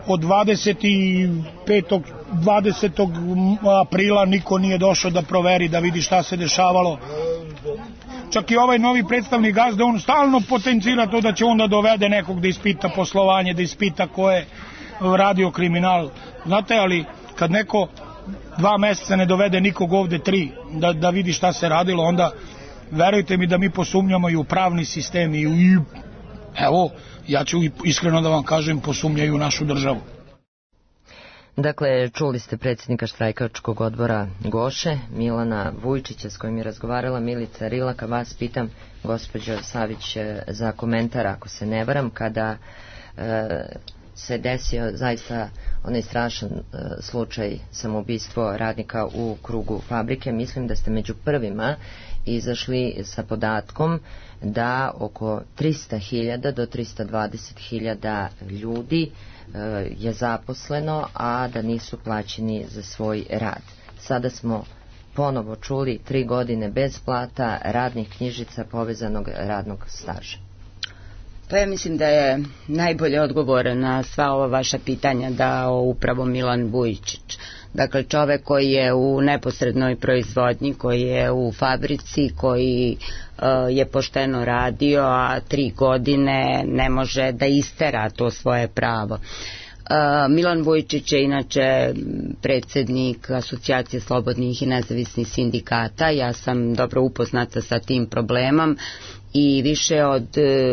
Speaker 18: od 20. aprila niko nije došao da proveri, da vidi šta se dešavalo. Čak i ovaj novi predstavnik gazde, on stalno potencira to da će onda dovede nekog da ispita poslovanje, da ispita ko je radio kriminal. Znate, ali kad neko 2 meseca ne dovede nikog ovde 3 da vidi šta se radilo, onda verujte mi da mi posumnjamo i u pravni sistem i evo, ja ću iskreno da vam kažem, posumnjaju u našu državu.
Speaker 2: Dakle, čuli ste predsjednika štrajkačkog odbora Goše, Milana Vujčića, s kojim je razgovarala Milica Rilaka. Vas pitam, gospođo Savić, za komentar, ako se ne varam, kada se desio zaista onaj strašan slučaj samoubistvo radnika u krugu fabrike. Mislim da ste među prvima izašli sa podatkom da oko 300.000 do 320.000 ljudi je zaposleno, a da nisu plaćeni za svoj rad. Sada smo ponovo čuli 3 godine bez plata, radnih knjižica, povezanog radnog staža.
Speaker 5: Pa ja mislim da je najbolje odgovor na sva ova vaša pitanja dao upravo Milan Vujčić. Dakle, čovek koji je u neposrednoj proizvodnji, koji je u fabrici, koji je pošteno radio, a 3 godine ne može da istera to svoje pravo. Milan Vujčić je inače predsjednik Asocijacije slobodnih i nezavisnih sindikata. Ja sam dobro upoznata sa tim problemom i više od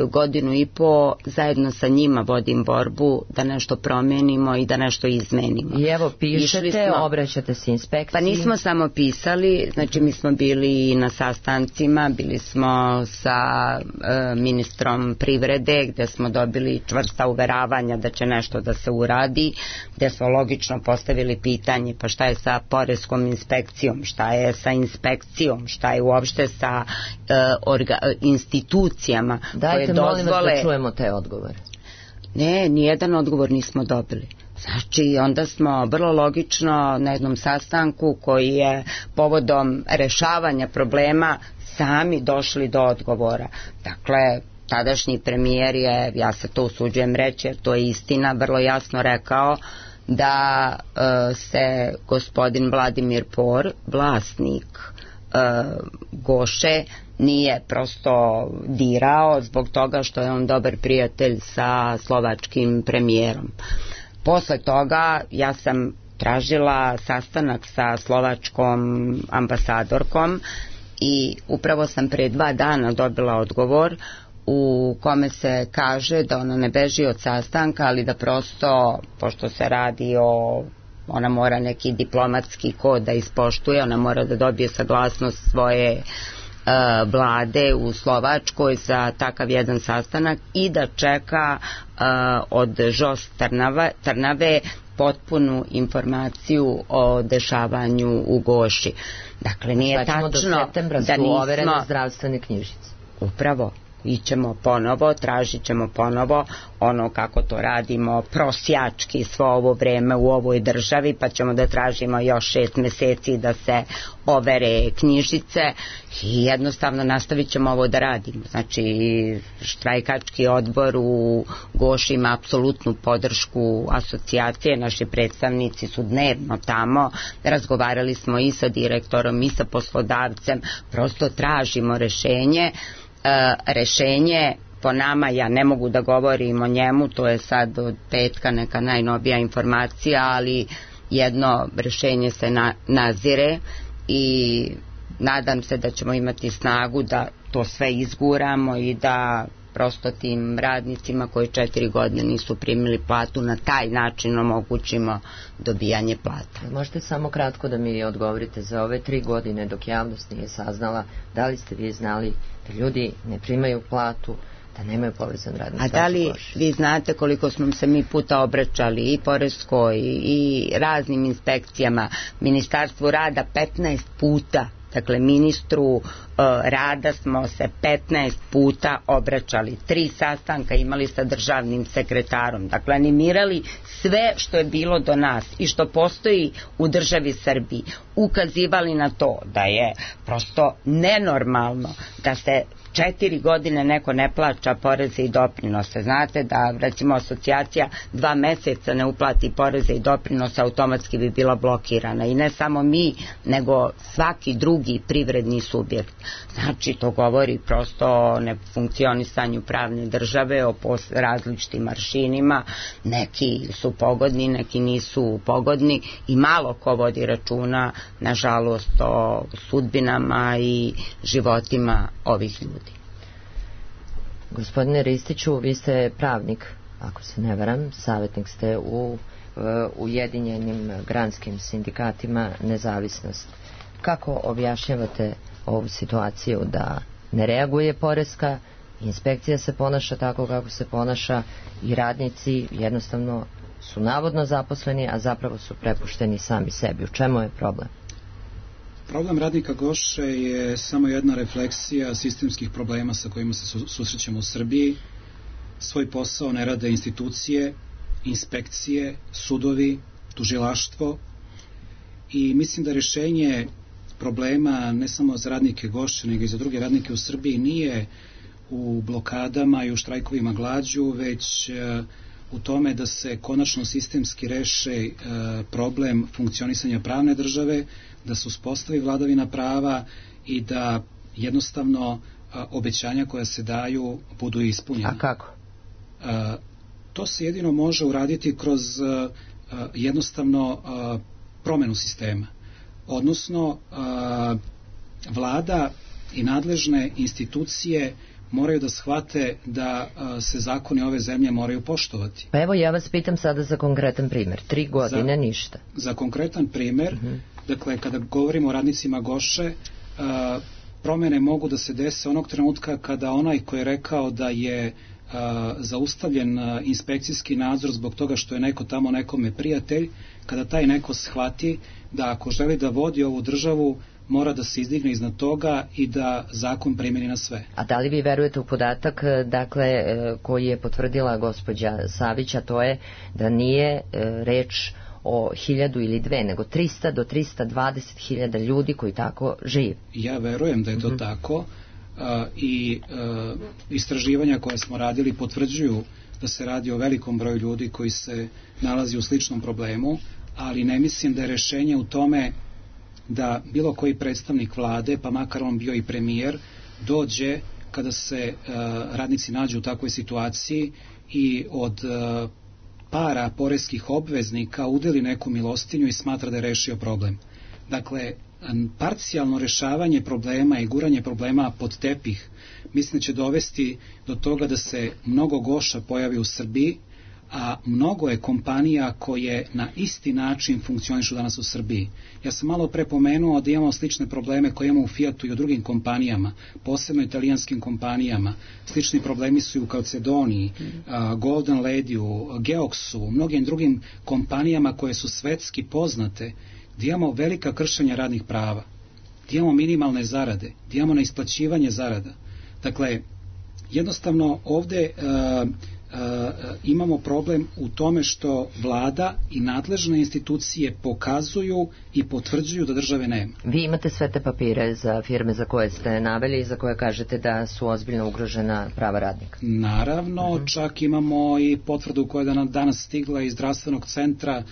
Speaker 5: godinu i po zajedno sa njima vodim borbu da nešto promenimo i da nešto izmenimo.
Speaker 2: I evo pišete, obraćate se inspekciji.
Speaker 5: Pa nismo samo pisali, znači mi smo bili na sastancima, bili smo sa ministrom privrede gde smo dobili čvrsta uveravanja da će nešto da se uradi, gde smo logično postavili pitanje pa šta je sa poreskom inspekcijom, šta je sa inspekcijom, šta je uopšte sa institucijama koje dozvole...
Speaker 2: Dajte, molim vas da čujemo te odgovore.
Speaker 5: Ne, nijedan odgovor nismo dobili. Znači, onda smo vrlo logično na jednom sastanku koji je povodom rešavanja problema sami došli do odgovora. Dakle, tadašnji premijer je, ja se to usuđujem reći, jer to je istina, vrlo jasno rekao da se gospodin Vladimir Por, vlasnik Goše, nije prosto dirao zbog toga što je on dobar prijatelj sa slovačkim premijerom. Posle toga ja sam tražila sastanak sa slovačkom ambasadorkom i upravo sam pre 2 dana dobila odgovor u kome se kaže da ona ne beži od sastanka, ali da prosto, pošto se radi o, ona mora neki diplomatski kod da ispoštuje, ona mora da dobije saglasnost svoje vlade u Slovačkoj za takav jedan sastanak i da čeka od Žos Trnave potpunu informaciju o dešavanju u Goši. Dakle, nije tačno
Speaker 2: do septembra
Speaker 5: da
Speaker 2: su overene
Speaker 5: nismo...
Speaker 2: zdravstvene knjižice.
Speaker 5: Upravo. Ićemo ponovo, tražit ćemo ponovo ono kako to radimo prosjački svo ovo vreme u ovoj državi, pa ćemo da tražimo još 6 meseci da se overe knjižice i jednostavno nastavit ćemo ovo da radimo. Znači, štrajkački odbor u Goši ima apsolutnu podršku asocijacije, naši predstavnici su dnevno tamo, razgovarali smo i sa direktorom i sa poslodavcem, prosto tražimo rešenje. Rešenje po nama, ja ne mogu da govorim o njemu, to je sad od petka neka najnovija informacija, ali jedno rešenje se nazire i nadam se da ćemo imati snagu da to sve izguramo i da prosto tim radnicima koji 4 godine nisu primili platu na taj način omogućimo dobijanje plata.
Speaker 2: Možete samo kratko da mi odgovorite za ove 3 godine dok javnost nije saznala, da li ste vi znali da ljudi ne primaju platu, da nemaju povezan radni staž?
Speaker 5: A da li vi znate koliko smo se mi puta obraćali i poreskoj i raznim inspekcijama, Ministarstvu rada 15 puta, dakle ministru rada smo se 15 puta obraćali, 3 sastanka imali sa državnim sekretarom, dakle animirali sve što je bilo do nas i što postoji u državi Srbiji, ukazivali na to da je prosto nenormalno da se 4 godine neko ne plaća poreze i doprinose. Znate da recimo asocijacija 2 meseca ne uplati poreze i doprinose, automatski bi bila blokirana i ne samo mi, nego svaki drugi privredni subjekt. Znači to govori prosto o nefunkcionisanju pravne države, o različitim aršinima, neki su pogodni, neki nisu pogodni i malo ko vodi računa, nažalost, o sudbinama i životima ovih ljudi.
Speaker 2: Gospodine Ristiću, vi ste pravnik, ako se ne varam, savjetnik ste u Ujedinjenim granskim sindikatima Nezavisnost. Kako objašnjavate ovu situaciju da ne reaguje poreska, inspekcija se ponaša tako kako se ponaša i radnici jednostavno su navodno zaposleni, a zapravo su prepušteni sami sebi? U čemu je problem?
Speaker 4: Problem radnika Goše je samo jedna refleksija sistemskih problema sa kojima se susrećemo u Srbiji. Svoj posao ne rade institucije, inspekcije, sudovi, tužilaštvo i mislim da rešenje problema ne samo za radnike Goše, nego i za druge radnike u Srbiji nije u blokadama i u štrajkovima glađu, već u tome da se konačno sistemski reše problem funkcionisanja pravne države, da se uspostavi vladavina prava i da jednostavno obećanja koja se daju budu ispunjena.
Speaker 2: A kako?
Speaker 4: To se jedino može uraditi kroz jednostavno promenu sistema. Odnosno, vlada i nadležne institucije moraju da shvate da se zakoni ove zemlje moraju poštovati.
Speaker 2: Pa evo ja vas pitam sada za konkretan primjer. 3 godine ništa.
Speaker 4: Za konkretan primjer, dakle kada govorimo o radnicima Goše, promjene mogu da se dese onog trenutka kada onaj ko je rekao da je zaustavljen inspekcijski nadzor zbog toga što je neko tamo nekome prijatelj, kada taj neko shvati da ako želi da vodi ovu državu mora da se izdigne iznad toga i da zakon primjeni na sve.
Speaker 2: A da li vi verujete u podatak, dakle, koji je potvrdila gospođa Savić, a to je da nije reč o 1000 ili 2, nego 300 do 320.000 ljudi koji tako žive?
Speaker 4: Ja verujem da je to tako i istraživanja koje smo radili potvrđuju da se radi o velikom broju ljudi koji se nalazi u sličnom problemu, ali ne mislim da je rešenje u tome da bilo koji predstavnik vlade, pa makar on bio i premijer, dođe kada se radnici nađu u takvoj situaciji i od para poreskih obveznika udeli neku milostinju i smatra da je rešio problem. Dakle, parcijalno rešavanje problema i guranje problema pod tepih mislim da će dovesti do toga da se mnogo Goša pojavi u Srbiji, a mnogo je kompanija koje na isti način funkcionišu danas u Srbiji. Ja sam malo pre pomenuo da imamo slične probleme koje imamo u Fiatu i u drugim kompanijama, posebno italijanskim kompanijama. Slični problemi su i u Calcedoniji, Golden Ladyu, Geoxu, mnogim drugim kompanijama koje su svetski poznate, gdje imamo velika kršenja radnih prava, gdje imamo minimalne zarade, gdje imamo neisplaćivanje zarada. Dakle, jednostavno ovde imamo problem u tome što vlada i nadležne institucije pokazuju i potvrđuju da države nema.
Speaker 2: Vi imate sve te papire za firme za koje ste naveli i za koje kažete da su ozbiljno ugrožena prava radnika?
Speaker 4: Naravno, čak imamo i potvrdu koja je danas stigla iz zdravstvenog centra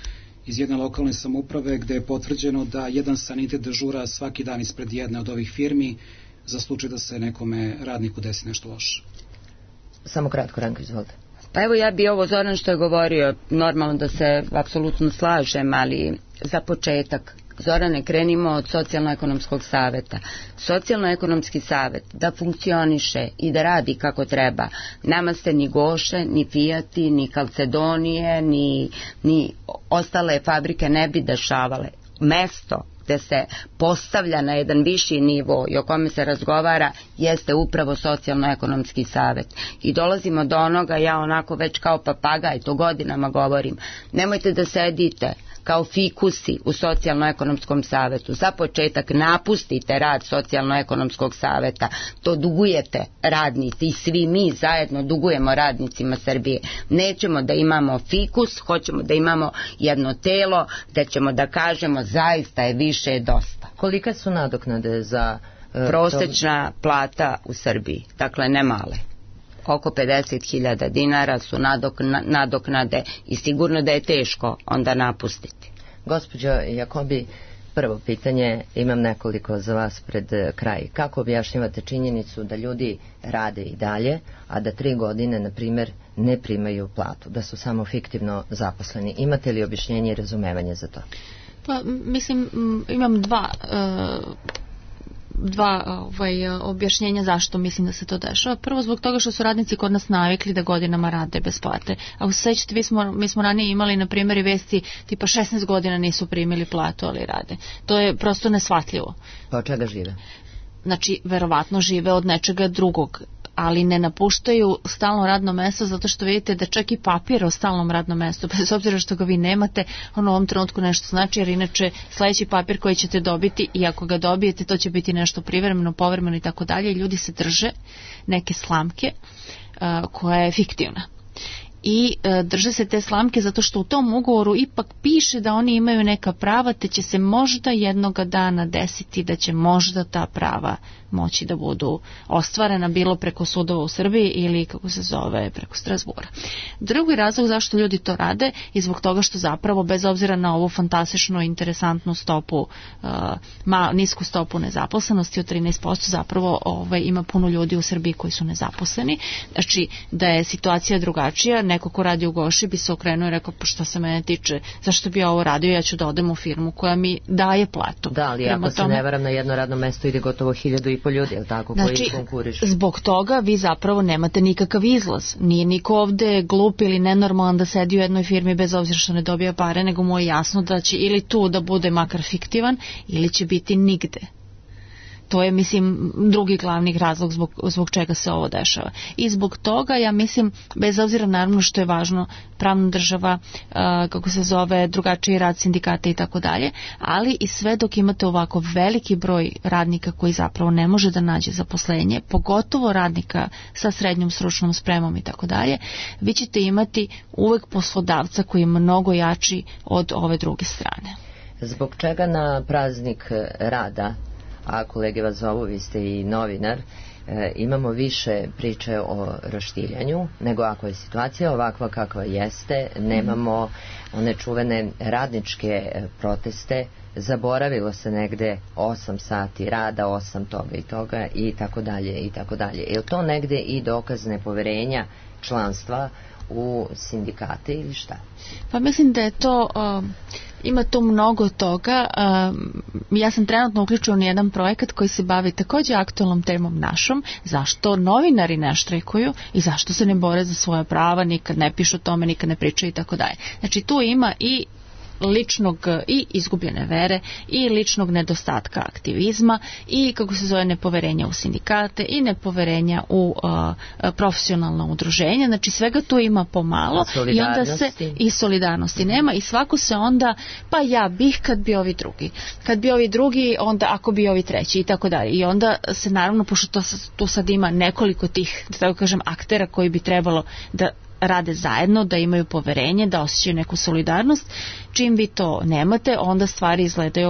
Speaker 4: iz jedne lokalne samouprave gde je potvrđeno da jedan sanitet dežura svaki dan ispred jedne od ovih firmi za slučaj da se nekome radniku desi nešto loše.
Speaker 2: Samo kratko, Ranko, izvolite.
Speaker 5: Pa evo ja bi ovo Zoran što je govorio, normalno da se apsolutno slažem, ali za početak, Zorane, krenimo od socijalno-ekonomskog saveta. Socijalno-ekonomski savet da funkcioniše i da radi kako treba, nama se ni Goše, ni Fijati, ni Calcedonije, ni ostale fabrike ne bi dešavale. Mesto gde se postavlja na jedan viši nivo i o kome se razgovara jeste upravo socijalno-ekonomski savet. I dolazimo do onoga, ja onako već kao papagaj, to godinama govorim, nemojte da sedite kao fikusi u socijalno-ekonomskom savetu. Za početak napustite rad socijalno-ekonomskog saveta. To dugujete radnici i svi mi zajedno dugujemo radnicima Srbije. Nećemo da imamo fikus, hoćemo da imamo jedno telo gde ćemo da kažemo zaista je više dosta.
Speaker 2: Kolika su nadoknade za...
Speaker 5: Prosečna plata u Srbiji, dakle ne male. Oko 50.000 dinara su nadoknade i sigurno da je teško onda napustiti.
Speaker 2: Gospođo Jakobi, prvo pitanje, imam nekoliko za vas pred kraj. Kako objašnjavate činjenicu da ljudi rade i dalje, a da 3 godine, na primjer, ne primaju platu, da su samo fiktivno zaposleni? Imate li objašnjenje i razumevanje za to?
Speaker 6: Pa, mislim, imam dva objašnjenja zašto mislim da se to dešava. Prvo, zbog toga što su radnici kod nas navikli da godinama rade bez plate. A sećate, mi smo ranije imali na primjer i vesti tipa 16 godina nisu primili platu, ali rade. To je prosto neshvatljivo.
Speaker 2: Pa od čega žive?
Speaker 6: Znači, verovatno žive od nečega drugog, ali ne napuštaju stalno radno mesto zato što vidite da čak i papir o stalnom radnom mestu, bez obzira što ga vi nemate, on u ovom trenutku nešto znači, jer inače sledeći papir koji ćete dobiti i ako ga dobijete to će biti nešto privremeno, povremeno i tako dalje, i ljudi se drže neke slamke koja je fiktivna. I drže se te slamke zato što u tom ugovoru ipak piše da oni imaju neka prava, te će se možda jednoga dana desiti da će možda ta prava moći da budu ostvarena bilo preko sudova u Srbiji ili kako se zove preko Strasbura. Drugi razlog zašto ljudi to rade je zbog toga što zapravo, bez obzira na ovu fantastičnu, interesantnu stopu, nisku stopu nezaposlenosti od 13%, zapravo ima puno ljudi u Srbiji koji su nezaposleni. Znači, da je situacija drugačija, neko ko radi u Goši bi se okrenuo i rekao, pa šta se mene tiče, zašto bi ja ovo radio, ja ću da odem u firmu koja mi daje platu.
Speaker 2: Da, ali ako se ne varam, na jedno radno mesto ide gotovo 1.500 ljudi, je li tako, koji konkurišu?
Speaker 6: Zbog toga vi zapravo nemate nikakav izlaz. Nije niko ovde glup ili nenormalan da sedi u jednoj firmi bez obzira što ne dobija pare, nego mu je jasno da će ili tu da bude makar fiktivan ili će biti nigde. To je, mislim, drugi glavni razlog zbog čega se ovo dešava. I zbog toga, ja mislim, bez obzira naravno što je važno, pravna država, kako se zove, drugačiji rad sindikata i tako dalje, ali i sve dok imate ovako veliki broj radnika koji zapravo ne može da nađe zaposlenje, pogotovo radnika sa srednjom stručnom spremom i tako dalje, vi ćete imati uvek poslodavca koji je mnogo jači od ove druge strane.
Speaker 2: Zbog čega na praznik rada, a kolege vas zovu, vi ste i novinar, imamo više priče o raštiljanju, nego ako je situacija ovakva kakva jeste, nemamo one čuvene radničke proteste, zaboravilo se negde 8 sati rada, 8 toga i toga i tako dalje i tako dalje. Je li to negde i dokaz nepoverenja članstva u sindikate ili šta?
Speaker 6: Pa mislim da je to, ima tu mnogo toga. Ja sam trenutno uključena u jedan projekat koji se bavi takođe aktualnom temom našom, zašto novinari ne štrajkuju i zašto se ne bore za svoja prava, nikad ne pišu o tome, nikad ne pričaju i tako dalje. Znači tu ima i ličnog i izgubljene vere i ličnog nedostatka aktivizma i, kako se zove, nepoverenja u sindikate i nepoverenja u profesionalno udruženje. Znači svega tu ima pomalo i onda se i solidarnosti nema i svako se onda, pa ja bih kad bi ovi drugi, onda ako bi ovi treći i tako dalje. I onda se naravno, pošto tu sad ima nekoliko tih, da tako kažem, aktera koji bi trebalo da rade zajedno, da imaju poverenje, da osjećaju neku solidarnost. Čim vi to nemate, onda stvari izgledaju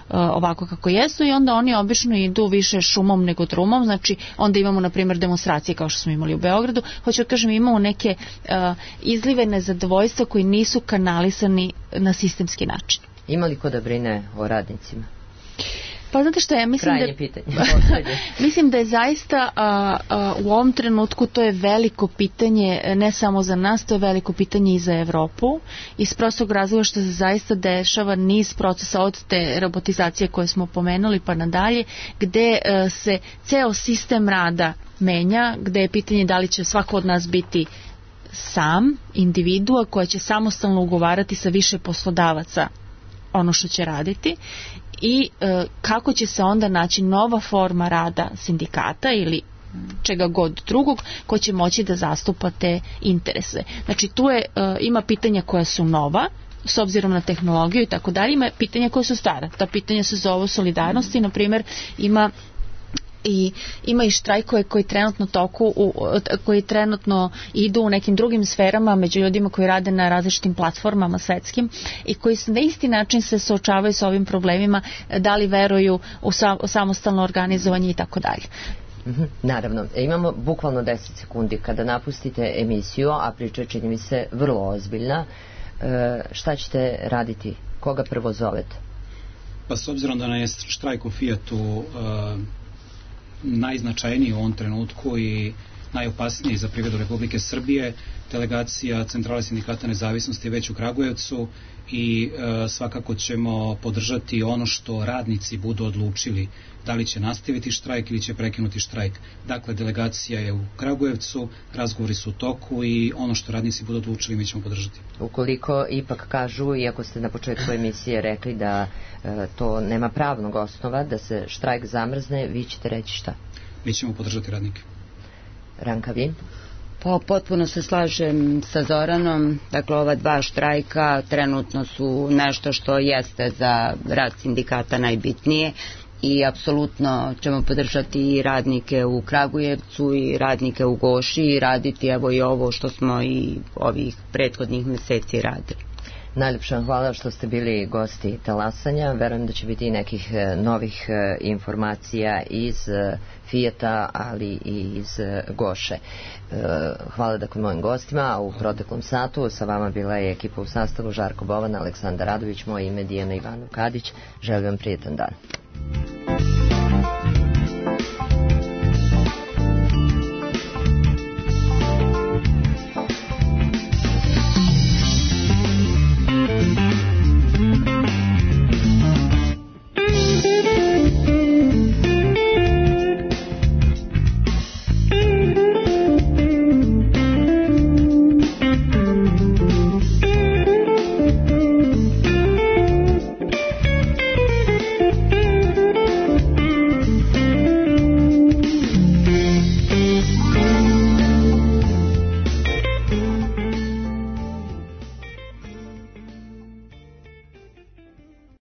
Speaker 6: ovako kako jesu i onda oni obično idu više šumom nego drumom. Znači onda imamo na primjer demonstracije kao što smo imali u Beogradu. Hoću da kažem, imamo neke izlive nezadovoljstva koji nisu kanalisani na sistemski način.
Speaker 2: Ima li ko da brine o radnicima?
Speaker 6: Pa znate što, ja mislim mislim da je zaista u ovom trenutku to je veliko pitanje, ne samo za nas, to je veliko pitanje i za Evropu, iz prostog razloga što se zaista dešava niz procesa od te robotizacije koje smo pomenuli pa nadalje, gde se ceo sistem rada menja, gde je pitanje da li će svako od nas biti sam, individua koja će samostalno ugovarati sa više poslodavaca ono što će raditi i kako će se onda naći nova forma rada sindikata ili čega god drugog ko će moći da zastupa te interese. Znači tu ima pitanja koja su nova s obzirom na tehnologiju i tako dalje, ima pitanja koja su stara. Ta pitanja se zove solidarnosti, na primjer ima i štrajkove koji trenutno idu u nekim drugim sferama među ljudima koji rade na različitim platformama svetskim i koji na isti način se suočavaju sa ovim problemima, da li veruju u samostalno organizovanje i tako dalje.
Speaker 2: Naravno, imamo bukvalno 10 sekundi kada napustite emisiju, a priča čini mi se vrlo ozbiljna. Šta ćete raditi? Koga prvo zovete?
Speaker 4: Pa s obzirom da je štrajk u Fijatu najznačajniji u ovom trenutku i najopasniji za privredu Republike Srbije, delegacija Centrale sindikata nezavisnosti je već u Kragujevcu i svakako ćemo podržati ono što radnici budu odlučili, da li će nastaviti štrajk ili će prekinuti štrajk. Dakle, delegacija je u Kragujevcu, razgovori su u toku i ono što radnici budu odlučili mi ćemo podržati.
Speaker 2: Ukoliko ipak kažu, iako ste na početku emisije rekli da to nema pravnog osnova, da se štrajk zamrzne, vi ćete reći šta?
Speaker 4: Mi ćemo podržati radnike.
Speaker 2: Ranka, vi?
Speaker 5: Pa potpuno se slažem sa Zoranom, dakle ova dva štrajka trenutno su nešto što jeste za rad sindikata najbitnije i apsolutno ćemo podržati i radnike u Kragujevcu i radnike u Goši i raditi evo i ovo što smo i ovih prethodnih meseci radili.
Speaker 2: Najljepša hvala što ste bili gosti Talasanja. Verujem da će biti i nekih novih informacija iz Fijata, ali i iz Goše. Hvala dakle mojim gostima, a u proteklom satu sa vama bila je ekipa u sastavu Žarko Bovan, Aleksandar Radović, moje ime Dijana Ivanov Kadić. Želim vam prijetan dan.